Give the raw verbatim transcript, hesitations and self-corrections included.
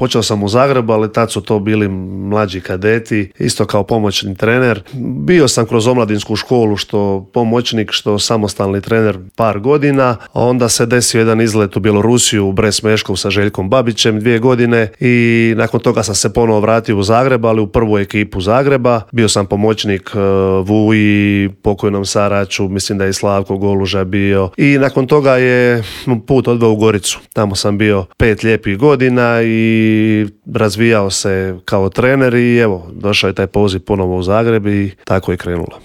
Počeo sam u Zagrebu, ali tad su to bili mlađi kadeti, isto kao pomoćni trener. Bio sam kroz omladinsku školu, što pomoćnik, što samostalni trener par godina, a onda se desio jedan izlet u Bjelorusiju, u Bres Meškov sa Željkom Babićem dvije godine i nakon toga sam se ponovo vratio u Zagreb, ali u prvu ekipu Zagreba. Bio sam pomoćnik uh, Vuji, pokojnom Saraču, mislim da je i Slavko Goluža bio, i nakon toga je put odveo u Goricu. Tamo sam bio pet lijepih godina i razvijao se kao trener i evo, došao je taj poziv ponovo u Zagreb i tako je krenulo.